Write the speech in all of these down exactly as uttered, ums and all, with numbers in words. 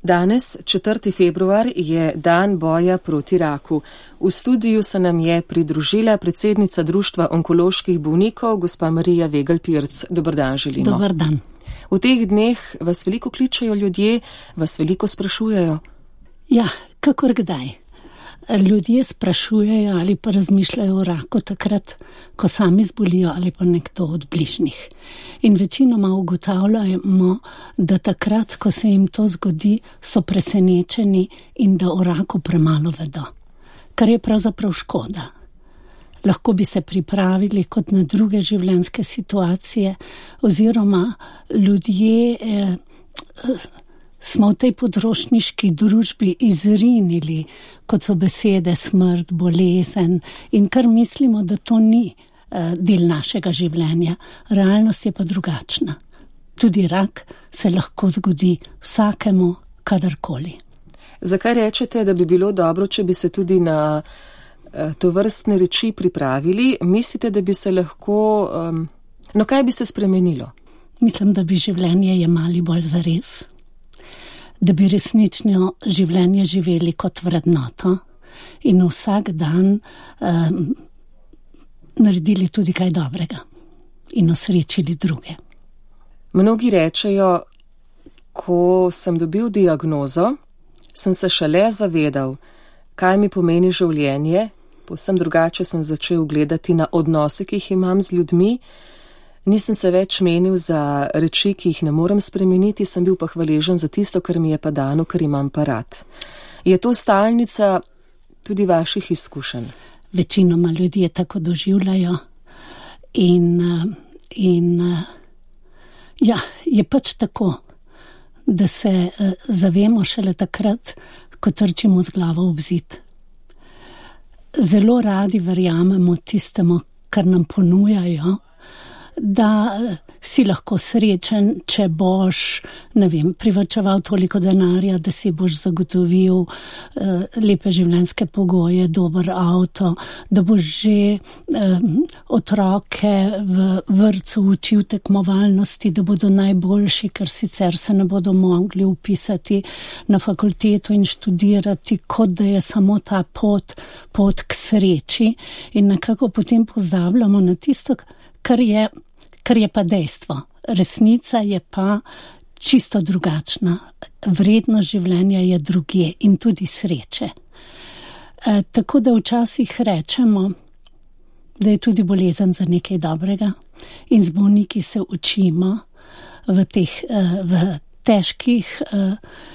Danes, četrti februar, je dan boja proti raku. V studiu se nam je pridružila predsednica Društva onkoloških bolnikov, gospa Marija Vegelj-Pirc. Dober dan želimo. Dober dan. V teh dneh vas veliko kličejo ljudje, vas veliko sprašujejo. Ja, kakor kdaj. Ljudje sprašujejo ali pa razmišljajo o raku takrat, ko sami zbolijo ali pa nekdo od bližnjih. In večinoma ugotavljamo, da takrat, ko se jim to zgodi, so presenečeni in da o raku premalo vedo. Kar je pravzaprav škoda. Lahko bi se pripravili kot na druge življenjske situacije oziroma ljudje eh, smo v tej potrošniški družbi izrinili, kot so besede smrt, bolezen in kar mislimo, da to ni eh, del našega življenja. Realnost je pa drugačna. Tudi rak se lahko zgodi vsakemu, kadarkoli. Zakaj rečete, da bi bilo dobro, če bi se tudi na eh, to vrstne reči pripravili? Mislite, da bi se lahko... Um, no, kaj bi se spremenilo? Mislim, da bi življenje jemali bolj zares. Da bi resnično življenje živeli kot vrednoto in vsak dan um, naredili tudi kaj dobrega in osrečili druge. Mnogi rečejo, ko sem dobil diagnozo, sem se šele zavedal, kaj mi pomeni življenje, povsem drugače sem začel gledati na odnose, ki jih imam z ljudmi. Nisem se več menil za reči, ki jih ne morem spremeniti, sem bil pa hvaležen za tisto, kar mi je pa dano, ker imam pa rad. Je to stalnica tudi vaših izkušenj? Večinoma ljudje tako doživljajo in, in ja, je pač tako, da se zavemo šele takrat, ko trčimo z glavo v zid. Zelo radi verjamemo tistemu, kar nam ponujajo, da si lahko srečen, če boš, ne vem, privarčeval toliko denarja, da si boš zagotovil uh, lepe življenjske pogoje, dober avto, da boš že um, otroke v vrtcu učil tekmovalnosti, da bodo najboljši, ker sicer se ne bodo mogli upisati na fakulteto in študirati, kot da je samo ta pot, pot k sreči in nekako potem pozabljamo na tisto, kar je kar je pa dejstvo. Resnica je pa čisto drugačna. Vrednost življenja je drugje in tudi sreče. E, tako da včasih rečemo, da je tudi bolezen za nekaj dobrega in z bolniki se učimo v teh v težkih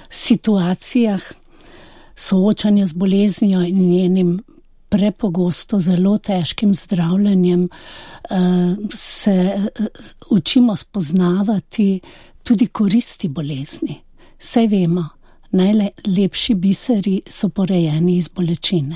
situacijah soočanja z boleznijo in njenim prepogosto zelo težkim zdravljenjem se učimo spoznavati tudi koristi bolezni. Saj vemo, najlepši biseri so porejeni iz bolečine.